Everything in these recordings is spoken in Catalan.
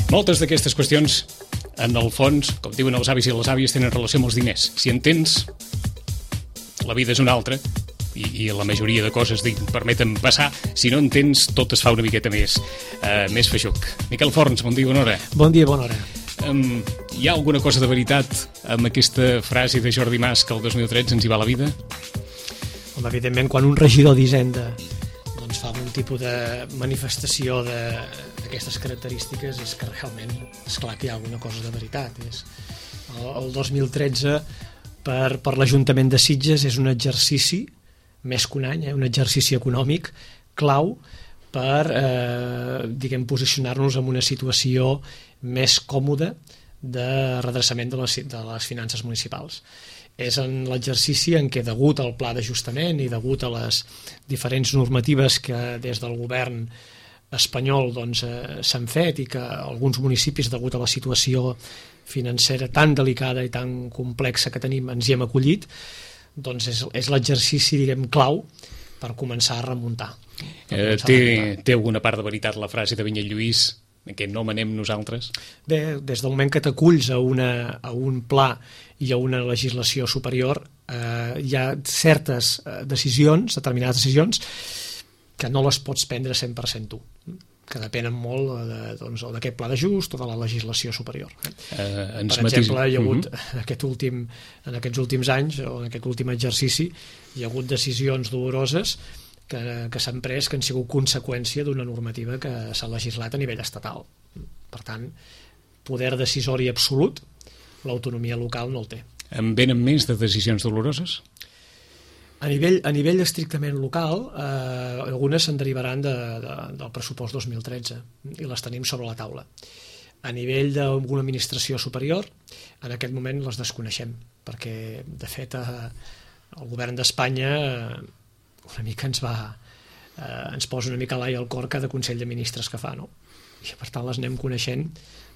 Moltes d'aquestes qüestions, en el fons, com diuen els avis i les àvies, tenen relació amb els diners. Si en tens, la vida és una altra, i la majoria de coses permeten passar. Si no en tens, tot es fa una miqueta més feixuc. Miquel Forns, bon dia, bona hora. Bon dia, bona hora. Hi ha alguna cosa de veritat amb aquesta frase de Jordi Mas que el 2013 ens hi va la vida? Home, evidentment, quan un regidor d'Hisenda doncs fa un tipus de manifestació d'aquestes característiques, és que realment és clar que hi ha alguna cosa de veritat. El 2013 per l'Ajuntament de Sitges és un exercici, més que un any, un exercici econòmic clau per posicionar-nos en una situació més còmoda de redreçament de les finances municipals. És en l'exercici en què, degut al pla d'ajustament i degut a les diferents normatives que des del govern espanyol s'han fet i que alguns municipis, degut a la situació financera tan delicada i tan complexa que tenim, ens hi hem acollit, doncs és l'exercici, clau per començar a remuntar. Té alguna part de veritat la frase de Vinyet Lluís que no manem nosaltres? Bé, des del moment que t'aculls a un pla i a una legislació superior, hi ha certes decisions, determinades decisions, que no les pots prendre 100% tu, que depenen molt o d'aquest pla d'ajust o de la legislació superior. Per exemple, hi ha hagut en aquests últims anys o en aquest últim exercici, hi ha hagut decisions doloroses que s'han pres, que han sigut conseqüència d'una normativa que s'ha legislat a nivell estatal. Per tant, poder decisori absolut, l'autonomia local no el té. En venen més de decisions doloroses? A nivell estrictament local, algunes se'n derivaran del pressupost 2013 i les tenim sobre la taula. A nivell d'alguna administració superior, en aquest moment les desconeixem, perquè, de fet, el govern d'Espanya una mica ens posa una mica a l'ai al cor cada Consell de Ministres que fa, no? I per tant les anem coneixent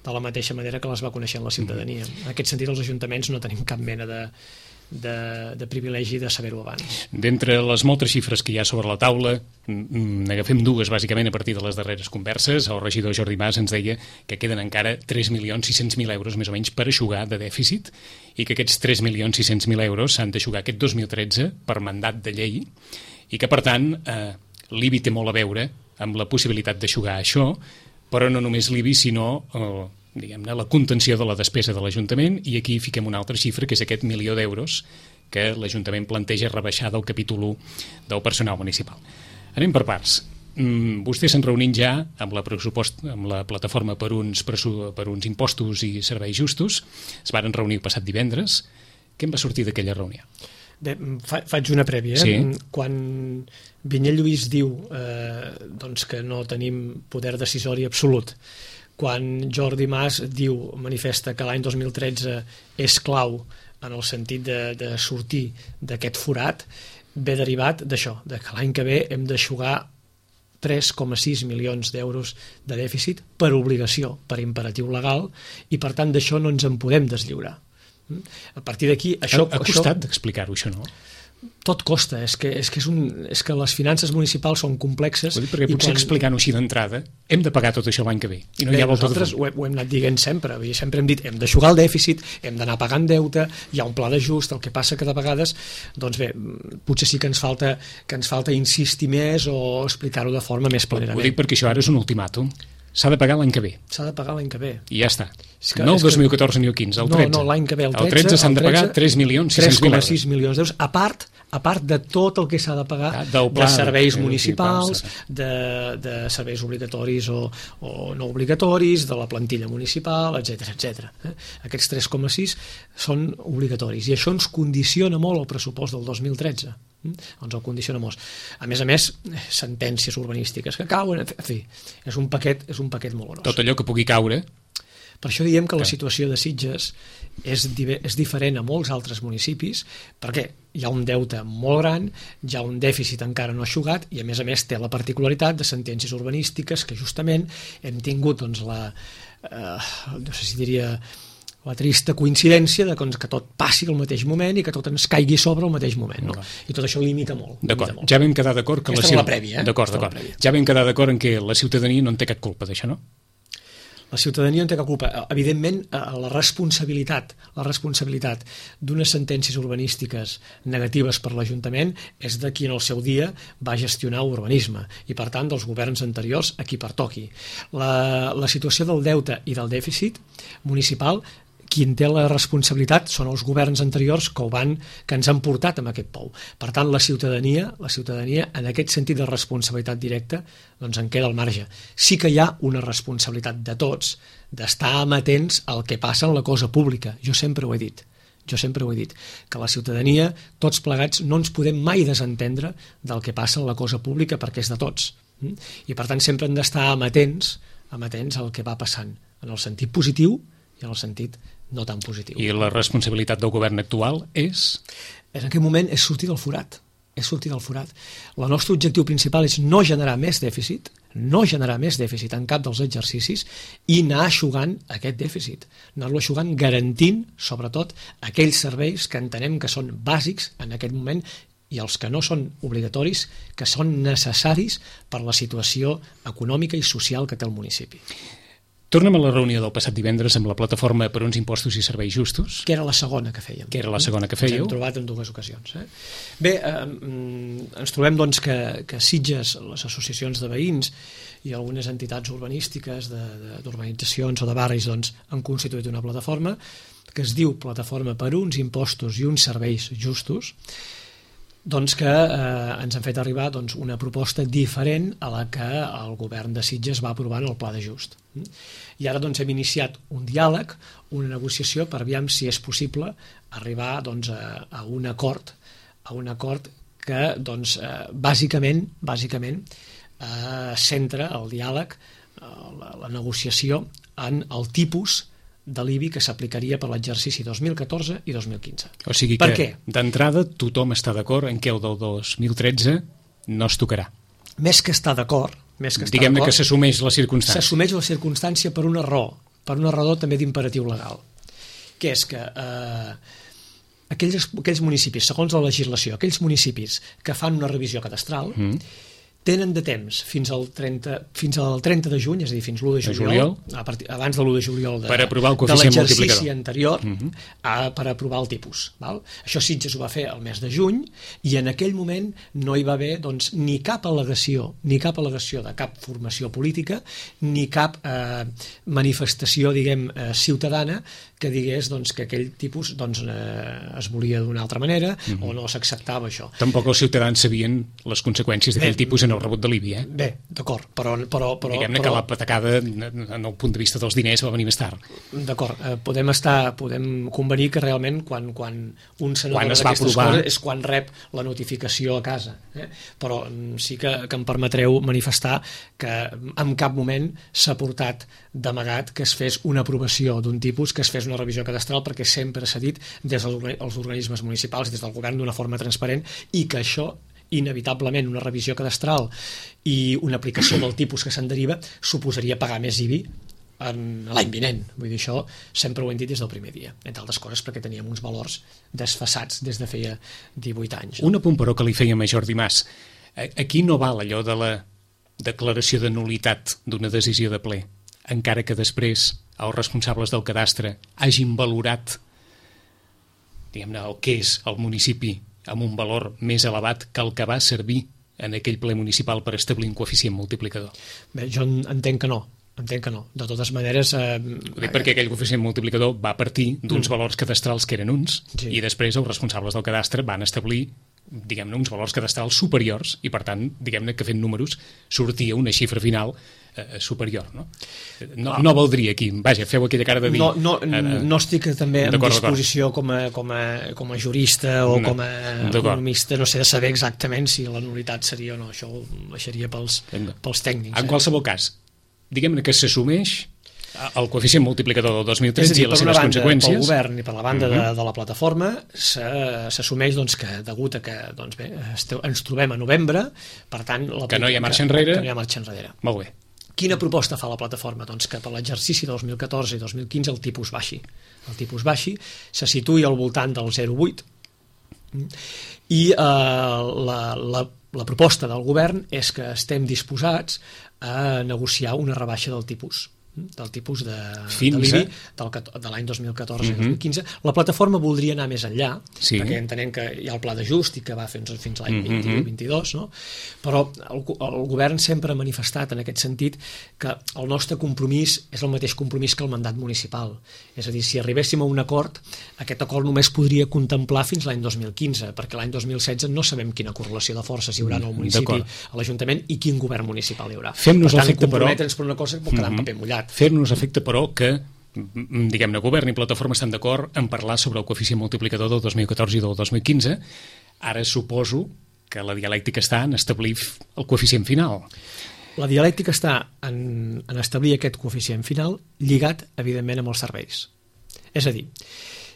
de la mateixa manera que les va coneixent la ciutadania. En aquest sentit, els ajuntaments no tenim cap mena de privilegi de saber-ho abans. D'entre les moltes xifres que hi ha sobre la taula, n'agafem dues bàsicament a partir de les darreres converses. El regidor Jordi Mas ens deia que queden encara 3.600.000 euros més o menys per eixugar de dèficit i que aquests 3.600.000 euros s'han d'eixugar aquest 2013 per mandat de llei i que, per tant, l'IBI té molt a veure amb la possibilitat d'eixugar això, però no només l'IBI, sinó la contenció de la despesa de l'Ajuntament, i aquí fiquem una altra xifra, que és aquest 1.000.000 d'euros que l'Ajuntament planteja rebaixar del capítol 1 del personal municipal. Anem per parts. Vostès s'han reunit ja amb la plataforma per uns impostos i serveis justos, es varen reunir el passat divendres. Què en va sortir d'aquella reunió? Bé, faig una prèvia. Sí. Quan Vinyet Lluís diu que no tenim poder decisori absolut, quan Jordi Mas manifesta que l'any 2013 és clau en el sentit de sortir d'aquest forat, ve derivat d'això, que l'any que ve hem d'eixugar 3,6 milions d'euros de dèficit per obligació, per imperatiu legal, i per tant d'això no ens en podem deslliurar. A partir d'aquí... Ha costat d'explicar-ho, això, no? Tot costa, és que les finances municipals són complexes. Perquè potser explicant-ho així d'entrada hem de pagar tot això l'any que ve i no hi ha volta de fons. Nosaltres ho hem anat dient sempre, sempre hem dit hem d'eixugar el dèficit, hem d'anar pagant deute, hi ha un pla d'ajust, el que passa que de vegades potser sí que ens falta insistir més o explicar-ho de forma més plenament. Ho dic perquè això ara és un ultimàtum. S'ha de pagar l'any que ve. S'ha de pagar l'any que ve. I ja està. No el 2014 ni el 15, el 13. No, l'any que ve, el 13. El 13 s'han de pagar 3.600.000 milions d'euros, a part de tot el que s'ha de pagar de serveis municipals, de serveis obligatoris o no obligatoris, de la plantilla municipal, etc. Aquests 3,6 són obligatoris i això ens condiciona molt el pressupost del 2013. Ens el condiciona molt. A més, sentències urbanístiques que cauen, en fi, és un paquet molt gros. Tot allò que pugui caure. Per això diem que la situació de Sitges és diferent a molts altres municipis, perquè hi ha un deute molt gran, hi ha un dèficit encara no eixugat i a més té la particularitat de sentències urbanístiques que justament hem tingut no sé si diria la trista coincidència de que tot passi al mateix moment i que tot ens caigui sobre al mateix moment, no? I tot això limita molt. D'acord, ja vam quedar d'acord que aquesta és la prèvia, D'acord. Ja vam quedar d'acord en què la ciutadania no en té cap culpa d'això, no? La ciutadania en té cap culpa. Evidentment, la responsabilitat d'unes sentències urbanístiques negatives per l'Ajuntament és de qui en el seu dia va gestionar urbanisme i, per tant, dels governs anteriors a qui pertoqui. La situació del deute i del dèficit municipal, qui en té la responsabilitat són els governs anteriors que ens han portat amb aquest pou. Per tant, la ciutadania, en aquest sentit de responsabilitat directa, doncs en queda al marge. Sí que hi ha una responsabilitat de tots d'estar amatents al que passa en la cosa pública. Jo sempre ho he dit, que la ciutadania, tots plegats, no ens podem mai desentendre del que passa en la cosa pública perquè és de tots. I, per tant, sempre hem d'estar amatents al que va passant, en el sentit positiu i en el sentit no tan positiu. I la responsabilitat del govern actual és? En aquest moment és sortir del forat. El nostre objectiu principal és no generar més dèficit en cap dels exercicis i anar eixugant aquest dèficit. Anar-lo eixugant garantint, sobretot, aquells serveis que entenem que són bàsics en aquest moment i els que no són obligatoris, que són necessaris per la situació econòmica i social que té el municipi. Tornem a la reunió del passat divendres amb la plataforma per uns impostos i serveis justos. Que era la segona que fèiem. Ens hem trobat en dues ocasions. Bé, ens trobem doncs, que Sitges, les associacions de veïns i algunes entitats urbanístiques d'urbanitzacions o de barris doncs, han constituït una plataforma que es diu Plataforma per uns impostos i uns serveis justos, doncs que ens han fet arribar doncs, una proposta diferent a la que el govern de Sitges va aprovar en el Pla d'Ajust. I ara doncs, hem iniciat un diàleg, una negociació per veure si és possible arribar doncs, a un acord que doncs, bàsicament centra el diàleg, la negociació en el tipus de l'IBI que s'aplicaria per l'exercici 2014 i 2015. O sigui que, d'entrada, tothom està d'acord en què el del 2013 no es tocarà. Més que estar d'acord... Diguem-ne que s'assumeix la circumstància. S'assumeix la circumstància per una raó també d'imperatiu legal, que és que aquells municipis, segons la legislació, aquells municipis que fan una revisió cadastral, tenen de temps fins al 30 de juny, és a dir, fins l'1 de juliol, abans de l'1 de juliol de l'exercici anterior, per aprovar el tipus. Això Sitges ho va fer el mes de juny i en aquell moment no hi va haver doncs, ni cap al·legació de cap formació política ni cap manifestació ciutadana que digués doncs, que aquell tipus doncs, es volia d'una altra manera o no s'acceptava això. Tampoc els ciutadans sabien les conseqüències d'aquell tipus en el rebut de l'IBI, Bé, d'acord, però... Diguem-ne que la patacada, en el punt de vista dels diners, va venir més tard. D'acord, podem convenir que realment quan un senador d'aquestes coses és quan rep la notificació a casa. Però sí que em permetreu manifestar que en cap moment s'ha portat d'amagat que es fes una aprovació d'un tipus, que es fes una revisió cadastral, perquè sempre s'ha dit des dels organismes municipals, des del govern, d'una forma transparent, i que això inevitablement una revisió cadastral i una aplicació del tipus que se'n deriva suposaria pagar més IBI l'any vinent. Vull dir, això sempre ho hem dit des del primer dia, entre altres coses perquè teníem uns valors desfasats des de feia 18 anys. Un apunt, però, que li fèiem a Jordi Mas. Aquí no val allò de la declaració de nul·litat d'una decisió de ple, encara que després els responsables del cadastre hagin valorat, diguem-ne, el que és el municipi amb un valor més elevat que el que va servir en aquell ple municipal per establir un coeficient multiplicador. Bé, jo entenc que no. De totes maneres... Ho dic perquè aquell coeficient multiplicador va partir d'uns valors cadastrals que eren uns, i després els responsables del cadastre van establir, diguem-ne, uns valors cadastrals superiors i, per tant, diguem-ne que fent números sortia una xifra final superior, no? No valdria aquí, vaja, feu aquella cara de dir... No estic també en disposició com a jurista o com a economista, no sé, de saber exactament si la nul·litat seria o no, això ho deixaria pels tècnics. En qualsevol cas, diguem-ne que s'assumeix el coeficient multiplicador del 2013 i les seves conseqüències. Pel govern i per la banda de la plataforma s'assumeix doncs, que degut a que doncs, bé, ens trobem a novembre, per tant... Que no hi ha marxa enrere. Que no hi ha marxa enrere. Molt bé. Quina proposta fa la plataforma? Doncs que per l'exercici 2014 i 2015 el tipus baixi. El tipus baixi se situï al voltant del 0,8 i la proposta del govern és que estem disposats a negociar una rebaixa del tipus del tipus de Fins l'IBI de l'any 2014-2015. La plataforma voldria anar més enllà, perquè entenem que hi ha el pla d'ajust i que va fins l'any 2021-2022, no? Però el govern sempre ha manifestat en aquest sentit que el nostre compromís és el mateix compromís que el mandat municipal. És a dir, si arribéssim a un acord, aquest acord només podria contemplar fins l'any 2015, perquè l'any 2016 no sabem quina correlació de forces hi haurà en el municipi, a l'Ajuntament, i quin govern municipal hi haurà. Fem-nos per tant, comprometre'ns per una cosa pot quedar en paper mullat. Fer-nos efecte, però, que diguem-ne, govern i plataforma estan d'acord en parlar sobre el coeficient multiplicador del 2014 i del 2015. Ara suposo que la dialèctica està en establir el coeficient final. La dialèctica està en establir aquest coeficient final lligat, evidentment, amb els serveis. És a dir,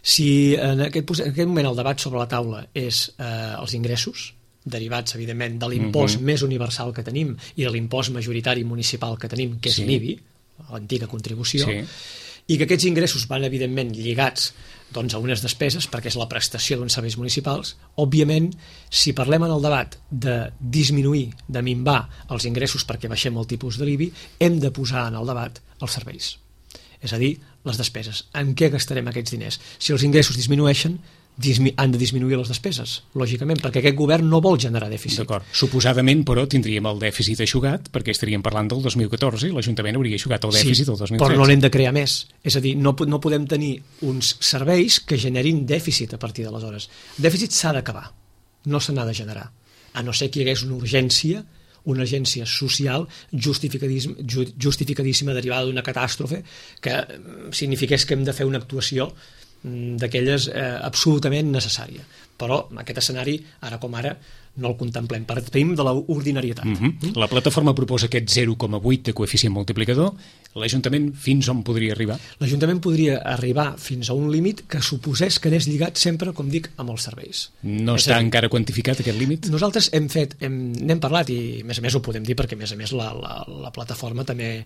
si en aquest moment el debat sobre la taula és els ingressos, derivats, evidentment, de l'impost més universal que tenim i de l'impost majoritari municipal que tenim, que és l'IBI, l'antiga contribució, i que aquests ingressos van, evidentment, lligats a unes despeses, perquè és la prestació d'uns serveis municipals. Òbviament, si parlem en el debat de disminuir, de minvar els ingressos perquè baixem el tipus de l'IBI, hem de posar en el debat els serveis. És a dir, les despeses. En què gastarem aquests diners? Si els ingressos disminueixen, han de disminuir les despeses, lògicament, perquè aquest govern no vol generar dèficit. D'acord. Suposadament, però, tindríem el dèficit eixugat, perquè estaríem parlant del 2014 i l'Ajuntament hauria eixugat el dèficit del 2013. Però no n'hem de crear més. És a dir, no podem tenir uns serveis que generin dèficit a partir d'aleshores. El dèficit s'ha d'acabar, no se n'ha de generar. A no ser que hi hagués una urgència social justificadíssima derivada d'una catàstrofe que signifiqués que hem de fer una actuació d'aquelles absolutament necessària. Però aquest escenari, ara com ara, no el contemplem. Partim de l'ordinarietat. La plataforma proposa aquest 0,8 de coeficient multiplicador. L'Ajuntament fins on podria arribar? L'Ajuntament podria arribar fins a un límit que suposés que anés lligat sempre, com dic, amb els serveis. No està encara quantificat aquest límit? Nosaltres n'hem parlat i a més ho podem dir perquè a més la plataforma també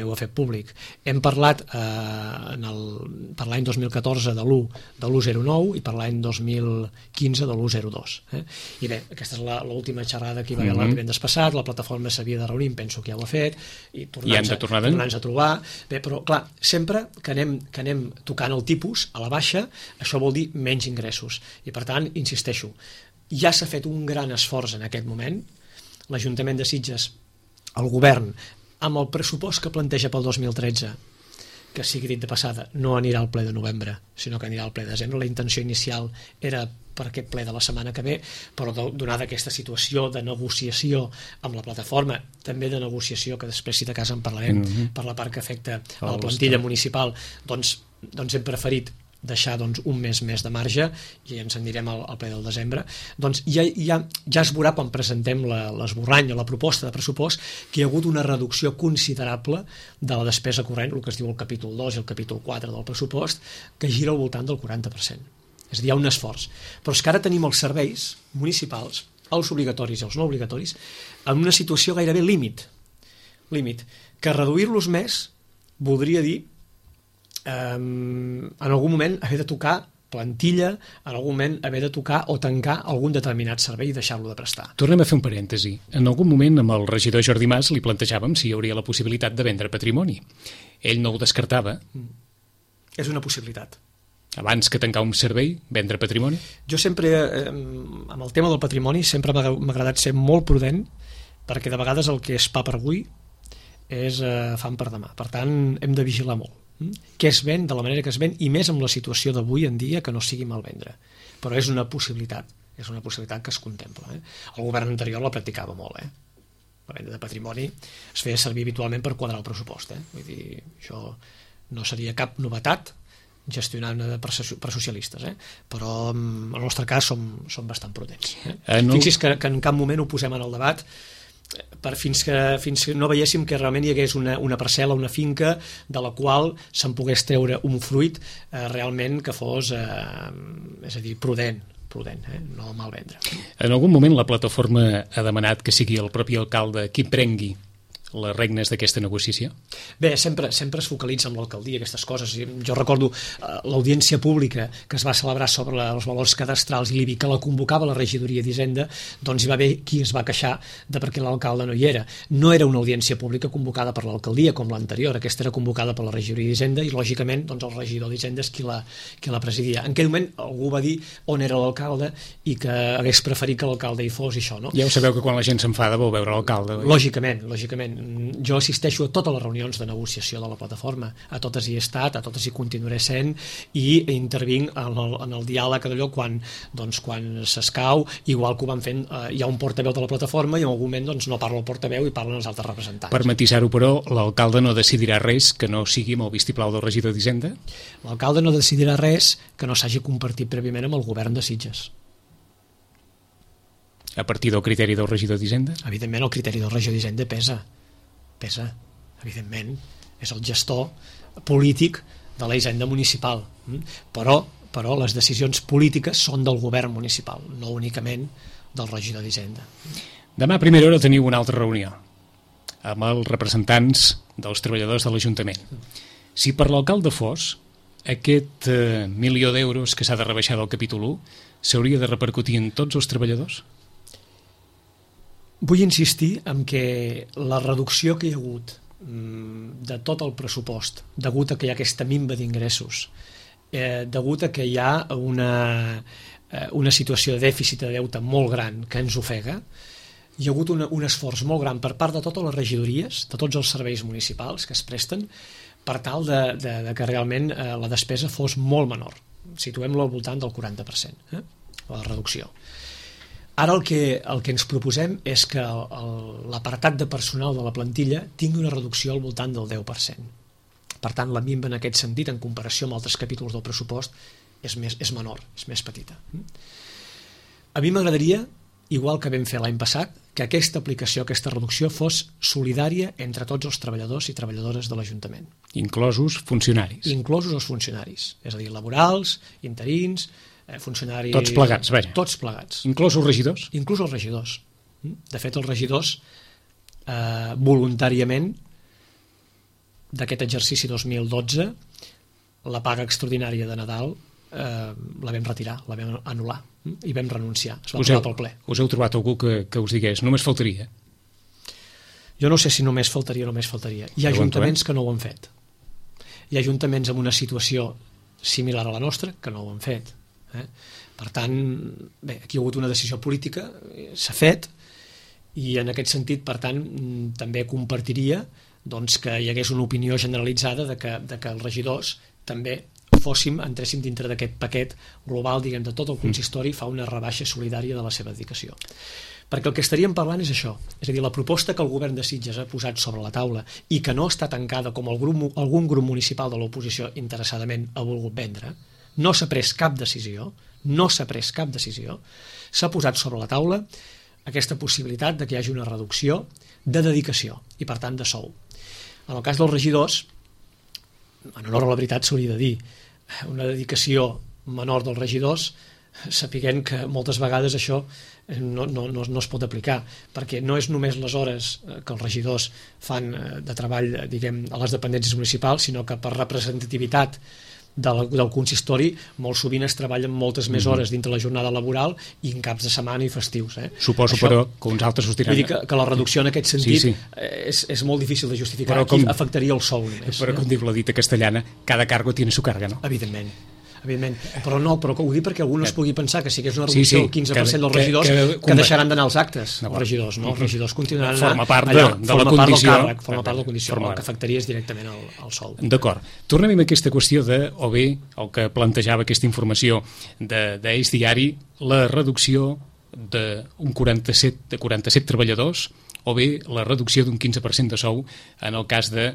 ho ha fet públic. Hem parlat per l'any 2014 de l'1,09 i per l'any 2015 de l'1,02. I bé, aquesta és l'última xerrada que hi va haver el divendres passat, la plataforma s'havia de reunir, penso que ja ho ha fet, i tornar-nos a trobar. Bé, però clar, sempre que anem tocant el tipus a la baixa, això vol dir menys ingressos. I per tant, insisteixo, ja s'ha fet un gran esforç en aquest moment. L'Ajuntament de Sitges, el govern, amb el pressupost que planteja pel 2013, que sigui dit de passada, no anirà al ple de novembre, sinó que anirà al ple de desembre. La intenció inicial era per aquest ple de la setmana que ve, però donada aquesta situació de negociació amb la plataforma, també de negociació, que després si de cas en parlarem, per la part que afecta a la plantilla municipal, doncs hem preferit deixar un mes més de marge i ens en anirem al ple del desembre. Doncs ja es veurà quan presentem l'esborrany o la proposta de pressupost que hi ha hagut una reducció considerable de la despesa corrent, el que es diu el capítol 2 i el capítol 4 del pressupost, que gira al voltant del 40%. És a dir, hi ha un esforç. Però és que ara tenim els serveis municipals, els obligatoris i els no obligatoris, en una situació gairebé límit, que reduir-los més voldria dir en algun moment haver de tocar plantilla, en algun moment haver de tocar o tancar algun determinat servei i deixar-lo de prestar. Tornem a fer un parèntesi. En algun moment amb el regidor Jordi Mas li plantejàvem si hi hauria la possibilitat de vendre patrimoni. Ell no ho descartava. És una possibilitat. Abans que tancar un servei, vendre patrimoni? Jo sempre, amb el tema del patrimoni, sempre m'ha agradat ser molt prudent, perquè de vegades el que és pa per avui és fam per demà. Per tant, hem de vigilar molt què es ven, de la manera que es ven, i més amb la situació d'avui en dia, que no sigui mal vendre. Però és una possibilitat que es contempla. El govern anterior la practicava molt. La venda de patrimoni es feia servir habitualment per quadrar el pressupost. Vull dir, això no seria cap novetat gestionar per socialistes, però en el nostre cas som bastant prudents. Fixi's que en cap moment ho posem en el debat fins que no veiéssim que realment hi hagués una parcel·la, una finca de la qual se'n pogués treure un fruit realment que fos, és a dir, prudent, no mal vendre. En algun moment la plataforma ha demanat que sigui el propi alcalde qui prengui les regnes d'aquesta negociació? Bé, sempre es focalitza en l'alcaldia aquestes coses. Jo recordo l'audiència pública que es va celebrar sobre els valors cadastrals i l'IBI, que la convocava la regidoria d'Hisenda, doncs hi va haver qui es va queixar de perquè l'alcalde no hi era. No era una audiència pública convocada per l'alcaldia com l'anterior, aquesta era convocada per la regidoria d'Hisenda i lògicament doncs, el regidor d'Hisenda és qui la presidia. En aquell moment algú va dir on era l'alcalde i que hagués preferit que l'alcalde hi fos i això, no? Ja ho sabeu que quan la gent s'enfada vol veure l'alcalde. Lògicament. Jo assisteixo a totes les reunions de negociació de la plataforma, a totes hi he estat, a totes hi continuaré sent i intervinc en el diàleg d'allò quan s'escau, igual que ho van fent, hi ha un portaveu de la plataforma i en algun moment no parla el portaveu i parlen els altres representants. Per matisar-ho, però, l'alcalde no decidirà res que no sigui amb el vistiplau del regidor d'Hisenda? L'alcalde no decidirà res que no s'hagi compartit prèviament amb el govern de Sitges. A partir del criteri del regidor d'Hisenda? Evidentment, el criteri del regidor d'Hisenda pesa, evidentment, és el gestor polític de la Hisenda municipal, però les decisions polítiques són del govern municipal, no únicament del regidor d'Hisenda. Demà a primera hora teniu una altra reunió amb els representants dels treballadors de l'Ajuntament. Si per l'alcalde fos, aquest 1.000.000 d'euros que s'ha de rebaixar del capítol 1 s'hauria de repercutir en tots els treballadors? Vull insistir en que la reducció que hi ha hagut de tot el pressupost, degut a que hi ha aquesta minva d'ingressos, degut a que hi ha una situació de dèficit de deute molt gran que ens ofega, hi ha hagut un esforç molt gran per part de totes les regidories, de tots els serveis municipals que es presten, per tal de que realment la despesa fos molt menor. Situem-lo al voltant del 40%, la reducció. Ara el que ens proposem és que l'apartat de personal de la plantilla tingui una reducció al voltant del 10%. Per tant, la minva en aquest sentit, en comparació amb altres capítols del pressupost, és menor, és més petita. A mi m'agradaria, igual que vam fer l'any passat, que aquesta aplicació, aquesta reducció fos solidària entre tots els treballadors i treballadores de l'Ajuntament. Inclosos funcionaris. Inclosos els funcionaris, és a dir, laborals, interins, funcionaris... Tots plegats, vaja. Tots plegats. Inclús els regidors? Inclús els regidors. De fet, els regidors, voluntàriament, d'aquest exercici 2012, la paga extraordinària de Nadal la vam retirar, la vam anul·lar i vam renunciar. Es va aprovar pel ple. Us heu trobat algú que us digués, només faltaria? Jo no sé si només faltaria o només faltaria. Hi ha ajuntaments que no ho han fet. Hi ha ajuntaments amb una situació similar a la nostra que no ho han fet. Per tant, bé, aquí hi ha hagut una decisió política, s'ha fet, i en aquest sentit, per tant, també compartiria que hi hagués una opinió generalitzada de que els regidors també entréssim dintre d'aquest paquet global, diguem, de tot el consistori, fa una rebaixa solidària de la seva dedicació. Perquè el que estaríem parlant és això, és a dir, la proposta que el govern de Sitges ha posat sobre la taula i que no està tancada com algun grup municipal de l'oposició interessadament ha volgut vendre, no s'ha pres cap decisió, s'ha posat sobre la taula aquesta possibilitat de que hi hagi una reducció de dedicació i, per tant, de sou. En el cas dels regidors, en honor a la veritat s'hauria de dir, una dedicació menor dels regidors, sapiguent que moltes vegades això no es pot aplicar, perquè no és només les hores que els regidors fan de treball, diguem, a les dependències municipals, sinó que per representativitat del consistori molt sovint es treballen moltes més hores dintre la jornada laboral i en caps de setmana i festius. Suposo, això, però, que uns altres sostiran... Vull dir que la reducció en aquest sentit és molt difícil de justificar, però aquí afectaria el sou només. Però com diu la dita castellana, cada cargo tiene su carga, no? Evidentment. Però ho dic perquè algú no es pugui pensar que si hi hagués una reducció del 15% dels regidors que deixaran d'anar als actes, els regidors, no? Els regidors continuaran forma part de la condició, forma part de la condició, el que afectaria és directament el sou. D'acord. Tornem amb aquesta qüestió de, o bé, el que plantejava aquesta informació d'Eix Diari, la reducció d'un 47 treballadors, o bé la reducció d'un 15% de sou en el cas de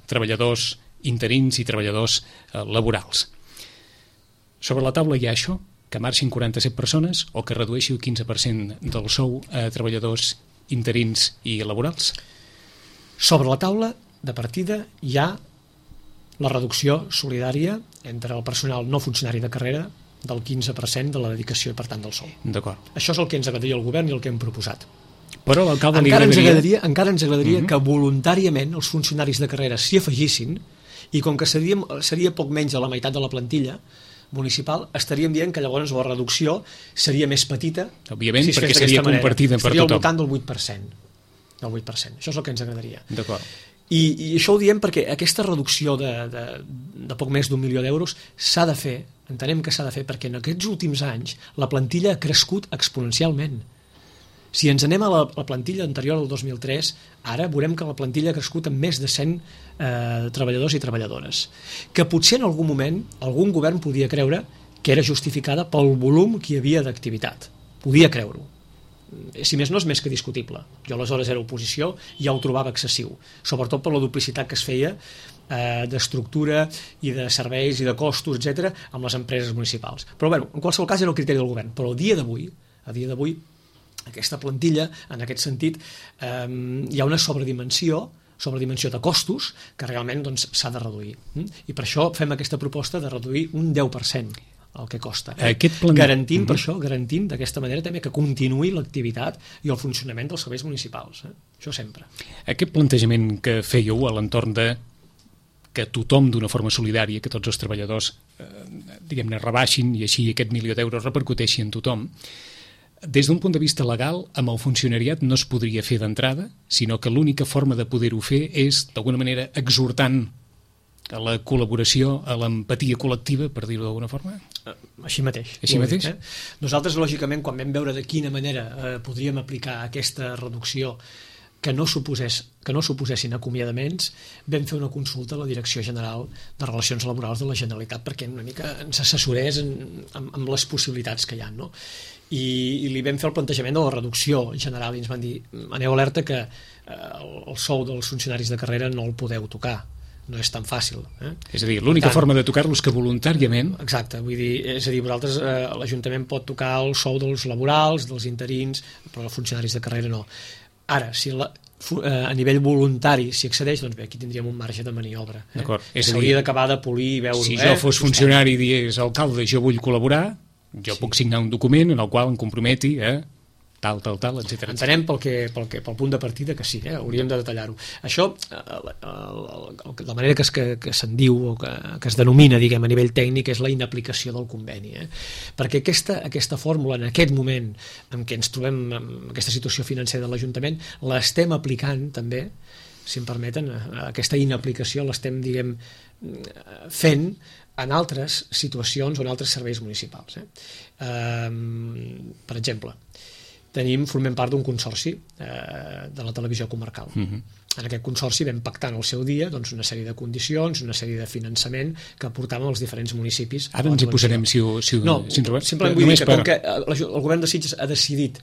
treballadors interins i treballadors laborals. Sobre la taula hi ha això, que marxin 47 persones o que redueixi el 15% del sou a treballadors interins i laborals? Sobre la taula de partida hi ha la reducció solidària entre el personal no funcionari de carrera del 15% de la dedicació i, per tant, del sou. D'acord. Això és el que ens agradaria al govern i el que hem proposat. Però l'alcalde encara ens agradaria que voluntàriament els funcionaris de carrera s'hi afegissin, i com que seria poc menys de la meitat de la plantilla municipal, estaríem dient que llavors la reducció seria més petita. Òbviament, perquè seria compartida per tothom. Estaria al voltant del 8%. Això és el que ens agradaria. D'acord. I això ho diem perquè aquesta reducció de poc més d'1 milió d'euros s'ha de fer, entenem que s'ha de fer, perquè en aquests últims anys la plantilla ha crescut exponencialment. Si ens anem a la plantilla anterior del 2003, ara veurem que la plantilla ha crescut amb més de 100 treballadors i treballadores, que potser en algun moment algun govern podia creure que era justificada pel volum que hi havia d'activitat. Podia creure-ho. Si més no, és més que discutible. Jo aleshores era oposició i ja ho trobava excessiu, sobretot per la duplicitat que es feia d'estructura i de serveis i de costos, etc., amb les empreses municipals. Però bueno, en qualsevol cas era el criteri del govern. Però a dia d'avui aquesta plantilla, en aquest sentit, hi ha una sobredimensió de costos que realment s'ha de reduir. I per això fem aquesta proposta de reduir un 10% el que costa. Garantint per això, garantint d'aquesta manera també que continuï l'activitat i el funcionament dels serveis municipals. Això sempre. Aquest plantejament que fèieu a l'entorn de que tothom d'una forma solidària, que tots els treballadors diguem-ne rebaixin i així aquest milió d'euros repercuteixi en tothom, des d'un punt de vista legal, amb el funcionariat no es podria fer d'entrada, sinó que l'única forma de poder-ho fer és, d'alguna manera, exhortant a la col·laboració, a l'empatia col·lectiva, per dir-ho d'alguna forma? Així mateix. Nosaltres, lògicament, quan vam veure de quina manera podríem aplicar aquesta reducció que no suposessin acomiadaments, vam fer una consulta a la Direcció General de Relacions Laborals de la Generalitat perquè una mica ens assessorés amb les possibilitats que hi ha, no? I li vam fer el plantejament de la reducció general i ens van dir, aneu alerta que el sou dels funcionaris de carrera no el podeu tocar, no és tan fàcil. És a dir, l'única forma de tocar-lo és que voluntàriament... Exacte, vull dir, és a dir, vosaltres, l'Ajuntament pot tocar el sou dels laborals, dels interins, però els funcionaris de carrera no. Ara, si a nivell voluntari s'hi accedeix, doncs bé, aquí tindríem un marge de maniobra. S'hauria d'acabar de polir i veure... Si jo fos funcionari i digués, alcalde, jo vull col·laborar, jo puc signar un document en el qual em comprometi a tal, etc. Entenem pel punt de partida que sí, hauríem de detallar-ho. Això, la manera que se'n diu o que es denomina, diguem, a nivell tècnic és la inaplicació del conveni. Perquè aquesta fórmula, en aquest moment en què ens trobem en aquesta situació financera de l'Ajuntament, l'estem aplicant també, si em permeten, aquesta inaplicació l'estem, diguem, fent en altres situacions o en altres serveis municipals. Per exemple, formem part d'un consorci de la televisió comarcal. En aquest consorci vam pactar en el seu dia una sèrie de condicions, una sèrie de finançament que aportàvem als diferents municipis. Ara ens hi posarem, si no, simplement vull dir que com que el govern de Sitges ha decidit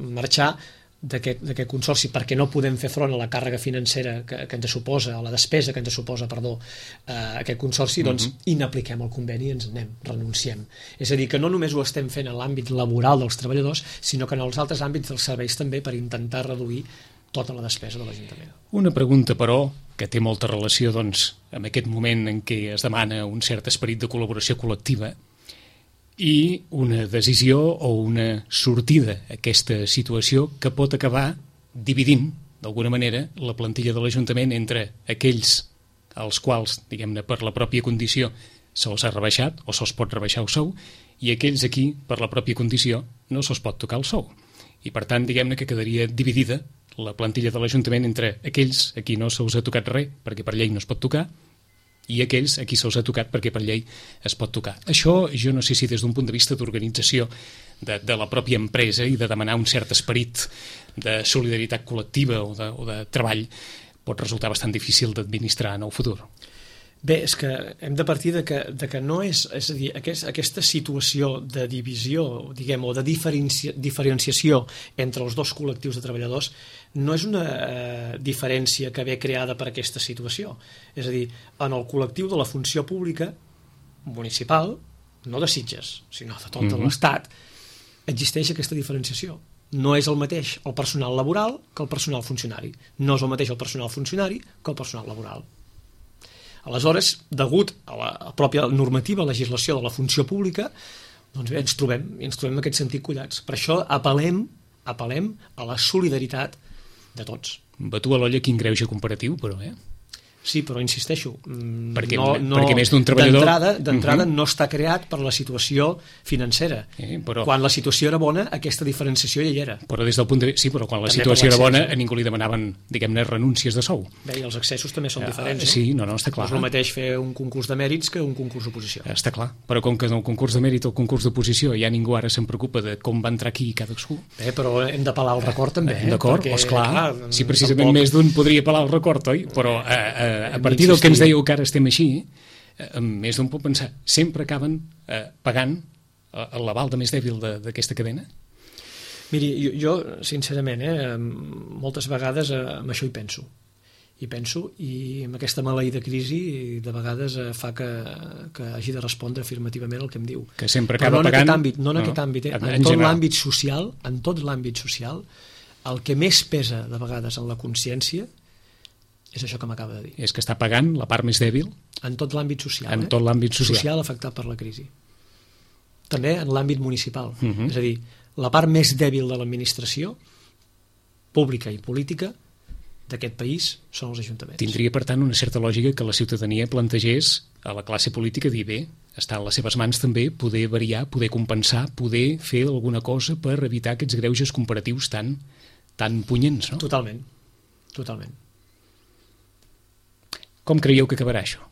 marxar d'aquest consorci perquè no podem fer front a la càrrega financera que ens suposa, a la despesa que ens suposa, aquest consorci, doncs inapliquem el conveni i ens anem, renunciem. És a dir, que no només ho estem fent en l'àmbit laboral dels treballadors, sinó que en els altres àmbits dels serveis també per intentar reduir tota la despesa de l'Ajuntament. Una pregunta, però, que té molta relació amb aquest moment en què es demana un cert esperit de col·laboració col·lectiva i una decisió o una sortida a aquesta situació que pot acabar dividint, d'alguna manera, la plantilla de l'Ajuntament entre aquells als quals, diguem-ne, per la pròpia condició se'ls ha rebaixat o se'ls pot rebaixar el sou i aquells aquí, per la pròpia condició, no se'ls pot tocar el sou. I, per tant, diguem-ne que quedaria dividida la plantilla de l'Ajuntament entre aquells a qui no se'ls ha tocat res perquè per llei no es pot tocar i aquells a qui se'ls ha tocat perquè per llei es pot tocar. Això jo no sé si des d'un punt de vista d'organització de la pròpia empresa i de demanar un cert esperit de solidaritat col·lectiva o de treball pot resultar bastant difícil d'administrar en el futur. Bé, és que hem de partir de que no és a dir, aquesta situació de divisió, diguem, o de diferenciació entre els dos col·lectius de treballadors no és una diferència que ve creada per aquesta situació. És a dir, en el col·lectiu de la funció pública municipal, no de Sitges, sinó de tot l'Estat, existeix aquesta diferenciació. No és el mateix el personal laboral que el personal funcionari. No és el mateix el personal funcionari que el personal laboral. Aleshores, degut a la pròpia normativa, legislació de la funció pública, doncs bé, ens trobem en aquest sentit collats. Per això apel·lem apel·lem a la solidaritat de tots. Batu a l'olla quin greuge comparatiu, però, Sí, però insisteixo, perquè més d'un treballador... d'entrada no està creat per la situació financera. Però... Quan la situació era bona, aquesta diferenciació ja hi era. Però des del punt de vista... Sí, però quan la situació era bona, a ningú li demanaven, diguem-ne, renúncies de sou. Bé, i els accessos també són diferents, no? Sí, no, està clar. És el mateix fer un concurs de mèrits que un concurs d'oposició. Està clar, però com que en el concurs de mèrit o el concurs d'oposició ja ningú ara se'n preocupa de com va entrar aquí cadascú... Bé, però hem d'apel·lar al record també. D'acord, esclar. Sí, precisament més d'un podria apel·lar al record, oi? Però a partir del que ens dèieu que ara estem així, més d'un pot pensar, sempre acaben pagant l'aval de més dèbil d'aquesta cadena? Miri, jo sincerament, moltes vegades amb això hi penso. I amb aquesta maleïda crisi de vegades fa que hagi de respondre afirmativament el que em diu. Que sempre acaba pagant... No en aquest àmbit, en tot l'àmbit social, el que més pesa de vegades en la consciència és això que m'acaba de dir. És que està pagant la part més dèbil? En tot l'àmbit social. En tot l'àmbit social. Social afectat per la crisi. També en l'àmbit municipal. És a dir, la part més dèbil de l'administració pública i política d'aquest país són els ajuntaments. Tindria, per tant, una certa lògica que la ciutadania plantegés a la classe política dir, bé, està en les seves mans també poder variar, poder compensar, poder fer alguna cosa per evitar aquests greuges comparatius tan punyents, no? Totalment. Com creieu que acabarà això?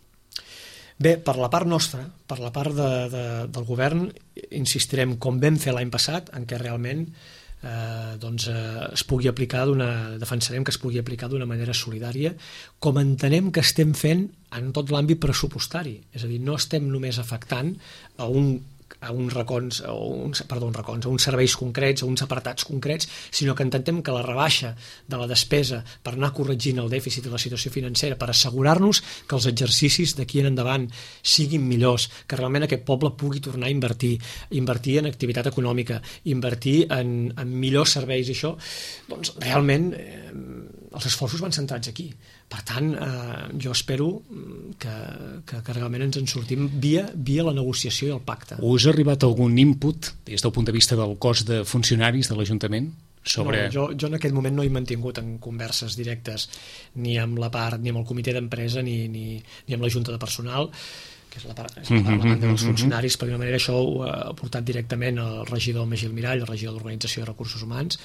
Bé, per la part nostra, per la part del govern, insistirem, com vam fer l'any passat, en què realment es pugui aplicar defensarem que es pugui aplicar d'una manera solidària, com entenem que estem fent en tot l'àmbit pressupostari. És a dir, no estem només afectant a uns serveis concrets, a uns apartats concrets, sinó que intentem que la rebaixa de la despesa per anar corregint el dèficit i la situació financera, per assegurar-nos que els exercicis d'aquí en endavant siguin millors, que realment aquest poble pugui tornar a invertir en activitat econòmica, invertir en millors serveis, i això, doncs realment els esforços van centrats aquí. Per tant, jo espero que realment ens en sortim via la negociació i el pacte. Us ha arribat algun input des del punt de vista del cos de funcionaris de l'Ajuntament? No, jo en aquest moment no he mantingut en converses directes ni amb la part, ni amb el comitè d'empresa ni amb la Junta de Personal, que és la part dels funcionaris. Per d'una manera això ho ha portat directament el regidor Magí Almirall, el regidor d'Organització de Recursos Humans,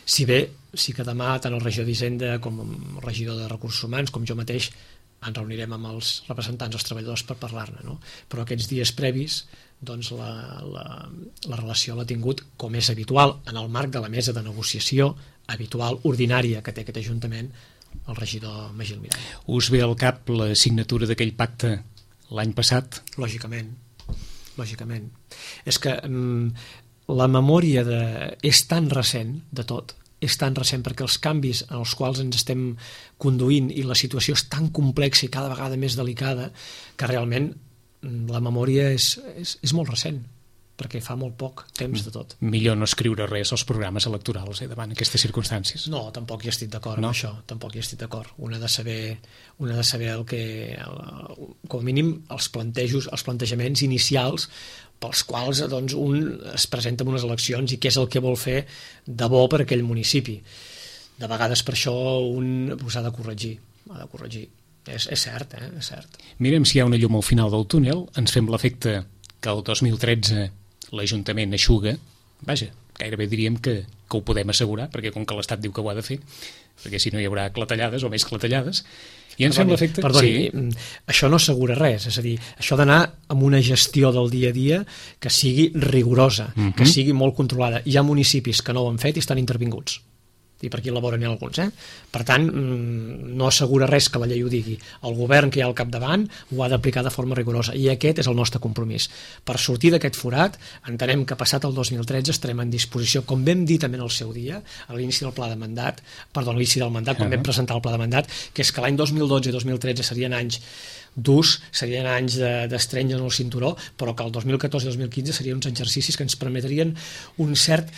si bé sí que demà tant el regidor d'Hisenda com el regidor de Recursos Humans com jo mateix ens reunirem amb els representants dels treballadors per parlar-ne, no? Però aquests dies previs doncs la relació l'ha tingut, com és habitual en el marc de la mesa de negociació habitual, ordinària que té aquest Ajuntament, el regidor Magí Almirall. Us ve al cap la signatura d'aquell pacte l'any passat? Lògicament. És que la memòria és tan recent de tot, és tan recent perquè els canvis en els quals ens estem conduint i la situació és tan complexa i cada vegada més delicada que realment la memòria és molt recent, perquè fa molt poc temps de tot. Millor no escriure res als programes electorals davant aquestes circumstàncies. No, tampoc hi estic d'acord amb això, tampoc hi estic d'acord. Un ha de saber el que, com a mínim, els plantejaments inicials pels quals doncs, un es presenta en unes eleccions i què és el que vol fer de bo per aquell municipi. De vegades per això un ha de corregir. És cert, és cert. Mirem si hi ha una llum al final del túnel. Ens fem l'efecte que el 2013 l'Ajuntament eixuga. Vaja, gairebé diríem que ho podem assegurar, perquè com que l'Estat diu que ho ha de fer, perquè si no hi haurà clatellades o més clatellades, i ens fem l'efecte... Perdoni, això no assegura res, és a dir, això d'anar amb una gestió del dia a dia que sigui rigorosa, que sigui molt controlada. Hi ha municipis que no ho han fet i estan intervinguts. I per aquí elaboren alguns. Per tant, no assegura res que la llei ho digui. El govern que hi ha al capdavant ho ha d'aplicar de forma rigorosa i aquest és el nostre compromís. Per sortir d'aquest forat, entenem que passat el 2013 estarem en disposició, com vam dir també en el seu dia, a l'inici del mandat, quan vam presentar el pla de mandat, que és que l'any 2012 i 2013 serien anys durs, serien anys d'estreny en el cinturó, però que el 2014 i 2015 serien uns exercicis que ens permetrien un cert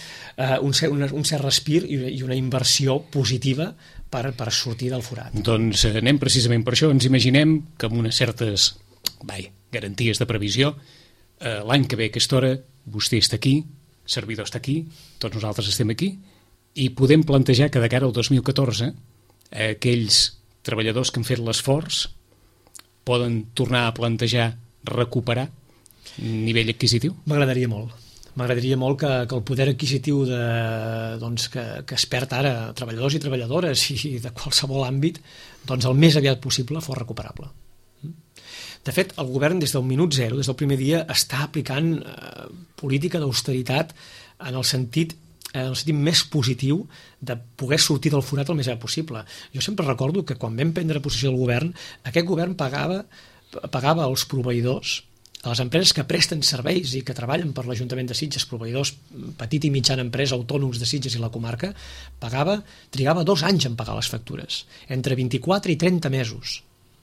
respir i una inversió positiva per sortir del forat. Doncs anem precisament per això. Ens imaginem que amb unes certes garanties de previsió, l'any que ve a aquesta hora vostè està aquí, servidor està aquí, tots nosaltres estem aquí, I podem plantejar que de cara al 2014 aquells treballadors que han fet l'esforç poden tornar a plantejar recuperar nivell adquisitiu? M'agradaria molt. M'agradaria molt que el poder adquisitiu que es perd ara treballadors i treballadores i de qualsevol àmbit, el més aviat possible fos recuperable. De fet, el govern des del minut zero, des del primer dia, està aplicant política d'austeritat en el sentit més positiu de poder sortir del forat el més aviat possible. Jo sempre recordo que quan vam prendre possessió del govern, aquest govern pagava als proveïdors, a les empreses que presten serveis i que treballen per l'Ajuntament de Sitges, proveïdors, petit i mitjana empresa, autònoms de Sitges i la comarca, trigava 2 anys en pagar les factures, entre 24 i 30 mesos.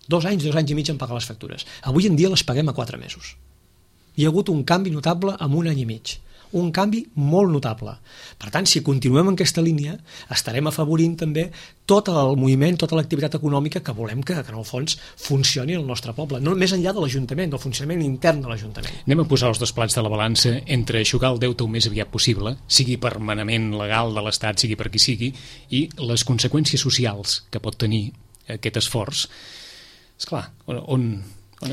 2 anys i mig en pagar les factures. Avui en dia les paguem a 4 mesos. Hi ha hagut un canvi notable en 1 any i mig. Un canvi molt notable. Per tant, si continuem en aquesta línia, estarem afavorint també tot el moviment, tota l'activitat econòmica que volem que en el fons funcioni al nostre poble, no més enllà de l'Ajuntament, del funcionament intern de l'Ajuntament. Anem a posar els 2 plats de la balança entre eixugar el deute el més aviat possible, sigui per manament legal de l'Estat, sigui per qui sigui, i les conseqüències socials que pot tenir aquest esforç. Esclar, on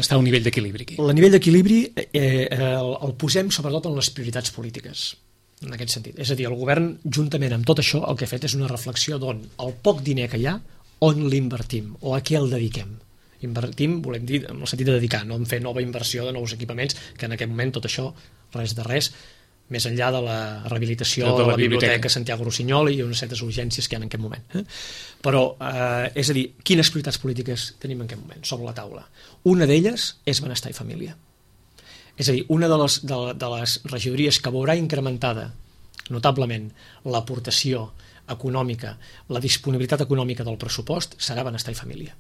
està el nivell d'equilibri aquí? El nivell d'equilibri el posem sobretot en les prioritats polítiques, en aquest sentit. És a dir, el govern, juntament amb tot això, el que ha fet és una reflexió d'on el poc diner que hi ha, on l'invertim o a què el dediquem. Invertim, volem dir, en el sentit de dedicar, no en fer nova inversió de nous equipaments, que en aquest moment tot això, res de res, més enllà de la rehabilitació de la biblioteca Santiago Rossinyol i unes certes urgències que hi ha en aquest moment. Però, és a dir, quines prioritats polítiques tenim en aquest moment sobre la taula? Una d'elles és benestar i família. És a dir, una de les regidories que veurà incrementada notablement l'aportació econòmica, la disponibilitat econòmica del pressupost serà benestar i família.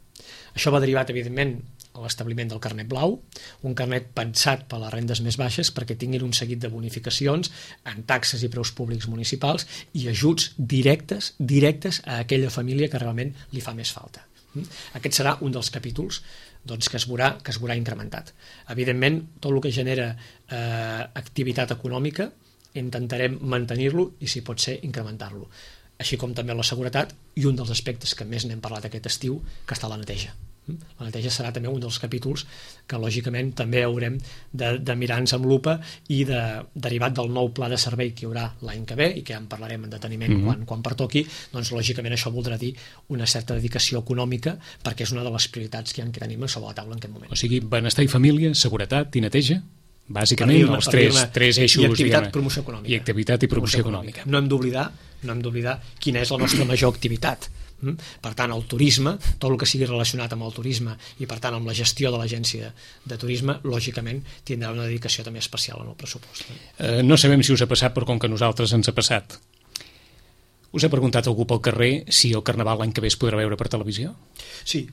Això va derivat, evidentment, a l'establiment del carnet blau, un carnet pensat per a les rendes més baixes perquè tinguin un seguit de bonificacions en taxes i preus públics municipals i ajuts directes a aquella família que realment li fa més falta. Aquest serà un dels capítols que es veurà incrementat. Evidentment, tot el que genera activitat econòmica intentarem mantenir-lo i, si pot ser, incrementar-lo. Així com també la seguretat i un dels aspectes que més n'hem parlat aquest estiu, que està la neteja. La neteja serà també un dels capítols que lògicament també haurem de mirar-nos amb lupa i derivat del nou pla de servei que hi haurà l'any que ve i que ja en parlarem en deteniment quan pertoqui, doncs lògicament això voldrà dir una certa dedicació econòmica perquè és una de les prioritats que tenim sobre la taula en aquest moment. O sigui, benestar i família, seguretat i neteja, bàsicament els tres eixos, i activitat, promoció econòmica. I activitat i promoció econòmica. No hem d'oblidar quina és la nostra major activitat. Per tant, el turisme, tot el que sigui relacionat amb el turisme i per tant amb la gestió de l'agència de turisme, lògicament tindrà una dedicació també especial en el pressupost. No sabem si us ha passat, però com que a nosaltres ens ha passat. Us ha preguntat algú pel carrer si el Carnaval l'any que ve es podrà veure per televisió? Sí,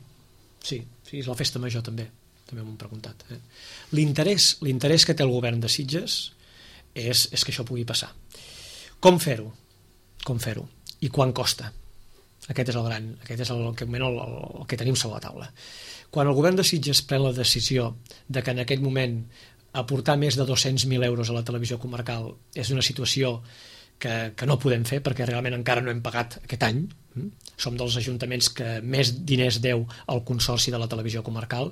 és la festa major també m'ho han preguntat. L'interès que té el govern de Sitges és que això pugui passar. Com fer-ho? I quan costa? Aquest és el que tenim sobre la taula. Quan el govern de Sitges pren la decisió de que en aquest moment aportar més de 200.000 euros a la televisió comarcal és una situació que no podem fer perquè realment encara no hem pagat aquest any, som dels ajuntaments que més diners deu al consorci de la televisió comarcal,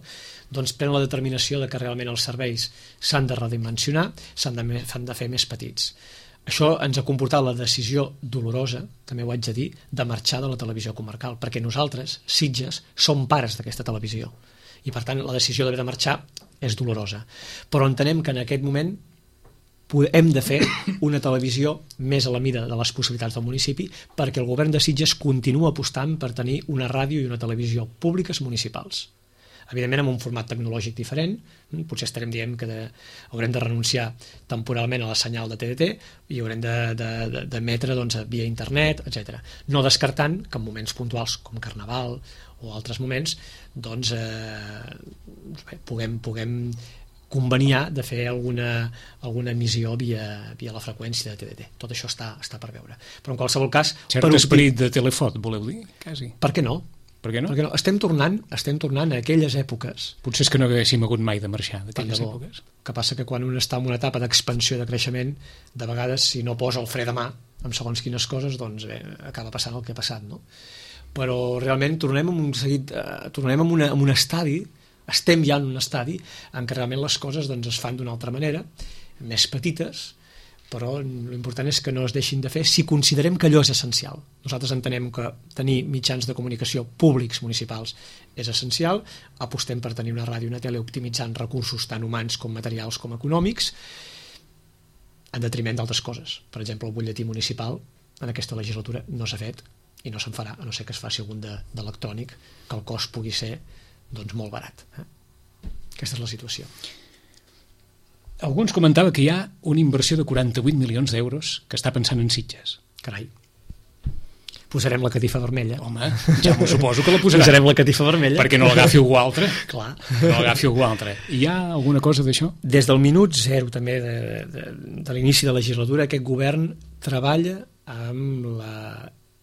doncs pren la determinació de que realment els serveis s'han de redimensionar, s'han de fer més petits. Això ens ha comportat la decisió dolorosa, també ho haig de dir, de marxar de la televisió comarcal, perquè nosaltres, Sitges, som pares d'aquesta televisió. I per tant la decisió d'haver de marxar és dolorosa. Però entenem que en aquest moment hem de fer una televisió més a la mida de les possibilitats del municipi perquè el govern de Sitges continua apostant per tenir una ràdio i una televisió públiques municipals. Evidentment amb un format tecnològic diferent, potser estarem dient que haurem de renunciar temporalment a la senyal de TDT i haurem d'emetre via internet, etc. No descartant que en moments puntuals com Carnaval o altres moments puguem conveniar de fer alguna emissió via la freqüència de TDT. Tot això està per veure. Però en qualsevol cas... Cert esperit de telefot, voleu dir? Quasi. Per què no? Per què no? Perquè no, estem tornant a aquelles èpoques. Potser és que no haguéssim hagut mai de marxar d'aquelles èpoques. Que passa que quan un està en una etapa d'expansió i de creixement, de vegades si no posa el fre de mà amb segons quines coses, doncs bé, acaba passant el que ha passat, no? Però realment tornem en un estadi, estem ja en un estadi en què realment les coses doncs, es fan d'una altra manera, més petites, però l'important és que no es deixin de fer si considerem que allò és essencial. Nosaltres entenem que tenir mitjans de comunicació públics municipals és essencial, apostem per tenir una ràdio i una tele optimitzant recursos tant humans com materials com econòmics, en detriment d'altres coses. Per exemple, el butlletí municipal en aquesta legislatura no s'ha fet i no se'n farà, a no ser que es faci algun d'electrònic, que el cost pugui ser doncs, molt barat. Aquesta és la situació. Algú ens comentava que hi ha una inversió de 48 milions d'euros que està pensant en Sitges. Carai. Posarem la catifa vermella. Home, ja m'ho suposo que la posarà. Posarem la catifa vermella. Perquè no l'agafi algú altre. Clar. No l'agafi algú altre. Hi ha alguna cosa d'això? Des del minut zero també de l'inici de la legislatura aquest govern treballa amb la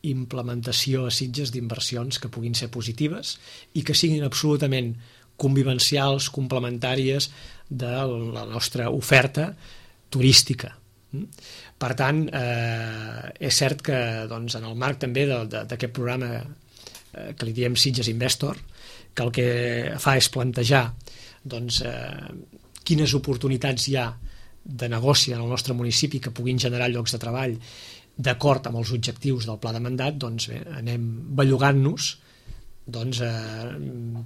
implementació a Sitges d'inversions que puguin ser positives i que siguin absolutament convivencials, complementàries de la nostra oferta turística. Per tant, és cert que doncs, en el marc també d'aquest programa que li diem Sitges Investor, que el que fa és plantejar doncs, quines oportunitats hi ha de negoci en el nostre municipi que puguin generar llocs de treball d'acord amb els objectius del pla de mandat, doncs bé, anem bellugant-nos doncs,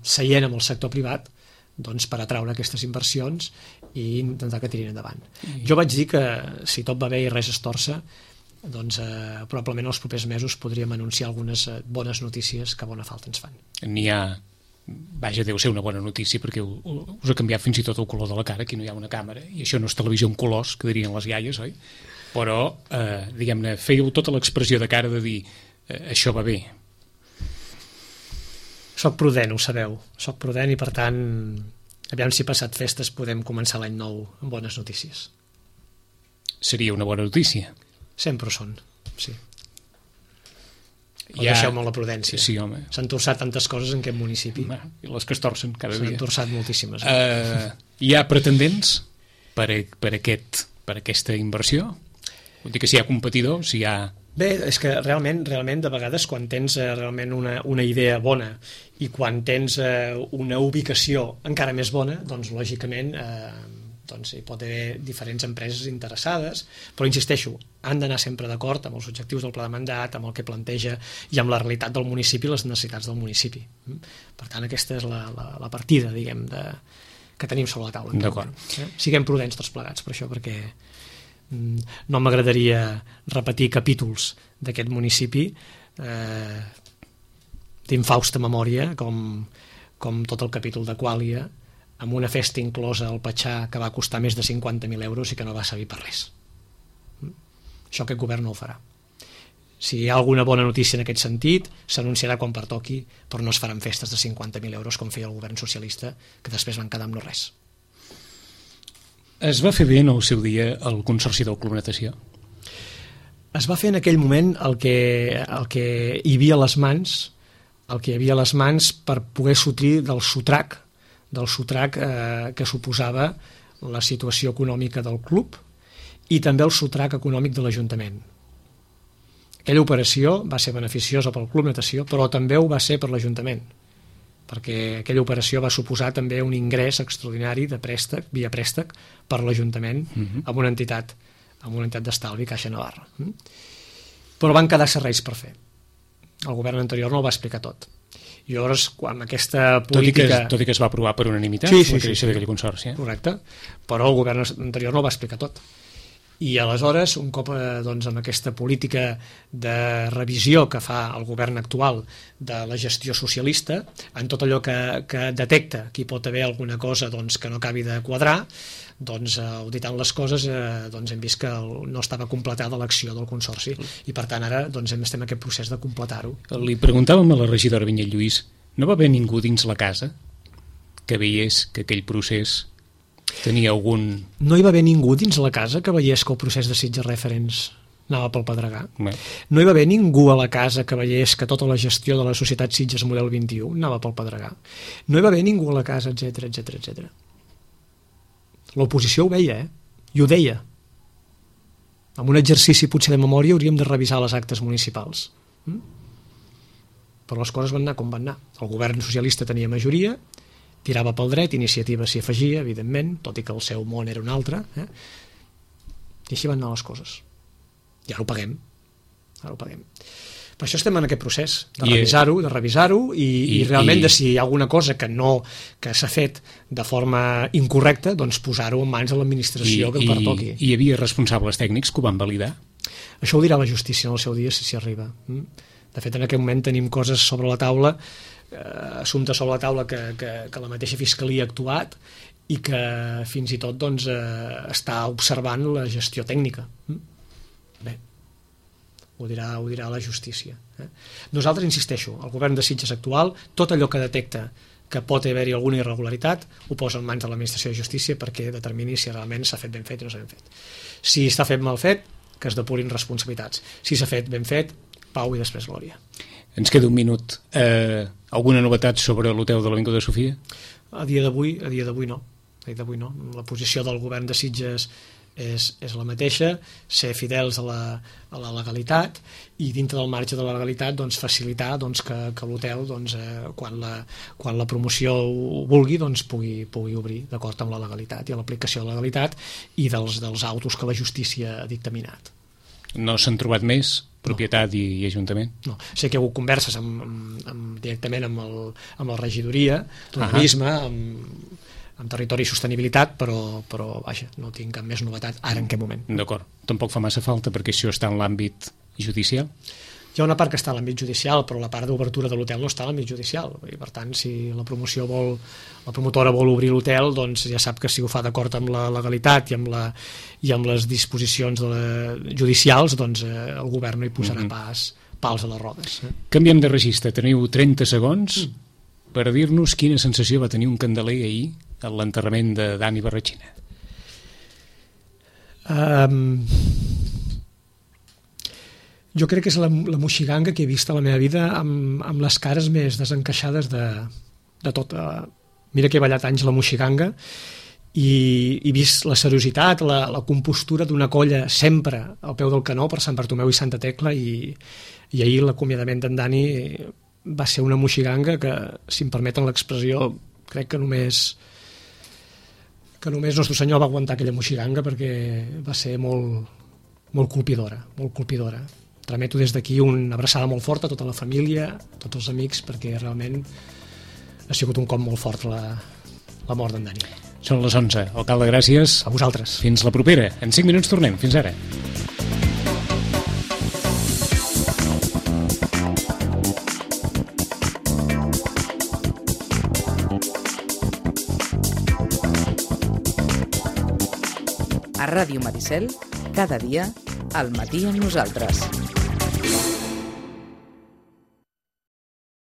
seient amb el sector privat doncs, per atraure aquestes inversions i intentar que tirin endavant. Jo vaig dir que si tot va bé i res es torça, doncs, probablement els propers mesos podríem anunciar algunes bones notícies que bona falta ens fan. N'hi ha, vaja, deu ser una bona notícia perquè us ha canviat fins i tot el color de la cara, aquí no hi ha una càmera i això no és televisió en colors, que dirien les iaies, oi? Però, diguem-ne, fèieu tota l'expressió de cara de dir això va bé. Soc prudent, ho sabeu. Soc prudent i, per tant, aviam si passat festes podem començar l'any nou amb bones notícies. Seria una bona notícia. Sempre ho són, sí. Deixeu-me la prudència. Sí, home. S'han torçat tantes coses en aquest municipi. I les que es torcen cada dia. S'han torçat moltíssimes. Hi ha pretendents per aquesta inversió? Vull dir que si hi ha competidors, si hi ha... Bé, és que realment de vegades quan tens realment una idea bona i quan tens una ubicació encara més bona, doncs lògicament doncs hi pot haver diferents empreses interessades, però insisteixo, han d'anar sempre d'acord amb els objectius del pla de mandat, amb el que planteja i amb la realitat del municipi i les necessitats del municipi. Per tant, aquesta és la partida, diguem, que tenim sobre la taula. D'acord. Siguem prudents tots plegats per això, perquè no m'agradaria repetir capítols d'aquest municipi d'infausta memòria com tot el capítol de Quàlia, amb una festa inclosa al Patxà que va costar més de 50.000 euros i que no va servir per res. Això aquest govern no ho farà. Si hi ha alguna bona notícia en aquest sentit, s'anunciarà quan pertoqui, però no es faran festes de 50.000 euros com feia el govern socialista, que després van quedar amb no res. Es va fer bé en el seu dia el Consorci del Club Natació? Es va fer en aquell moment el que hi havia a les mans, per poder sortir del sotrac que suposava la situació econòmica del club i també el sotrac econòmic de l'Ajuntament. Aquella operació va ser beneficiosa pel Club Natació, però també ho va ser per l'Ajuntament, perquè aquella operació va suposar també un ingrés extraordinari de préstec, via préstec, per l'Ajuntament amb una entitat d'estalvi, Caixa Navarra. Però van quedar serveis per fer. El govern anterior no ho va explicar tot. I llavors, quan aquesta política... Tot i que es va aprovar per unanimitat, sí, la creació d'aquell consorci. Correcte, però el govern anterior no ho va explicar tot. I aleshores, un cop doncs, amb aquesta política de revisió que fa el govern actual de la gestió socialista, en tot allò que detecta que hi pot haver alguna cosa doncs, que no acabi de quadrar, doncs, auditant les coses, doncs, hem vist que no estava completada l'acció del Consorci i per tant ara doncs, estem en aquest procés de completar-ho. Li preguntàvem a la regidora Vinyet Lluís, no va haver ningú dins la casa que veiés que aquell procés tenia algun... No hi va haver ningú dins la casa que veiés que el procés de Sitges Referents anava pel pedregar. No hi va haver ningú a la casa que veiés que tota la gestió de la societat Sitges Model 21 anava pel pedregar. No hi va haver ningú a la casa, etc. L'oposició ho veia, i ho deia. en un exercici potser de memòria hauríem de revisar les actes municipals. Però les coses van anar com van anar. El govern socialista tenia majoria, tirava pel dret, Iniciativa s'hi afegia, evidentment, tot i que el seu món era un altre, i així van anar les coses. I ara ho paguem. Per això estem en aquest procés, de revisar-ho i realment de si hi ha alguna cosa que s'ha fet de forma incorrecta, doncs posar-ho en mans de l'administració que em pertoqui. Hi havia responsables tècnics que ho van validar? Això ho dirà la justícia en el seu dia, si s'hi arriba. De fet, en aquest moment tenim coses sobre la taula, assumptes sobre la taula que la mateixa Fiscalia ha actuat i que fins i tot doncs, està observant la gestió tècnica. Bé, ho dirà la justícia. Nosaltres, insisteixo, el govern de Sitges actual, tot allò que detecta que pot haver-hi alguna irregularitat, ho posa en mans de l'administració de justícia perquè determini si realment s'ha fet ben fet o no s'ha ben fet. Si està fet mal fet, que es depurin responsabilitats. Si s'ha fet ben fet, pau i després glòria. Ens queda un minut. Alguna novetat sobre l'hotel de l'Avinguda Sofia? A dia d'avui no. La posició del govern de Sitges és la mateixa, ser fidels a la legalitat i dintre del marge de la legalitat doncs, facilitar doncs, que l'hotel doncs, quan la promoció ho vulgui doncs, pugui obrir d'acord amb la legalitat i l'aplicació de la legalitat i dels autos que la justícia ha dictaminat. No s'han trobat més? Propietat i Ajuntament? No, sé que hi ha hagut converses directament amb la regidoria d'urbanisme, amb territori i sostenibilitat, però vaja, no tinc cap més novetat ara en aquest moment. D'acord. Tampoc fa massa falta perquè això està en l'àmbit judicial? Hi ha una part que està a l'àmbit judicial, però la part d'obertura de l'hotel no està a l'àmbit judicial. I per tant, si la promotora vol obrir l'hotel, doncs ja sap que si ho fa d'acord amb la legalitat i amb les disposicions judicials, doncs el govern no hi posarà pals a les rodes. Canviem de registre. Teniu 30 segons per dir-nos quina sensació va tenir un candeler ahir a l'enterrament de Dani Barratxina. Jo crec que és la moixiganga que he vist a la meva vida amb les cares més desencaixades de tot. Mira que he ballat anys la moixiganga i he vist la seriositat, la compostura d'una colla sempre al peu del canó per Sant Bartomeu i Santa Tecla i ahir l'acomiadament d'en Dani va ser una moixiganga que, si em permeten l'expressió, crec que només Nostre Senyor va aguantar aquella moixiganga perquè va ser molt colpidora, molt colpidora. Trameto des d'aquí una abraçada molt forta a tota la família, a tots els amics, perquè realment ha sigut un cop molt fort la mort d'en Dani. Són les 11. Alcalde, gràcies. A vosaltres. Fins la propera. En 5 minuts tornem. Fins ara. A Ràdio Maricel, cada dia, al matí amb nosaltres.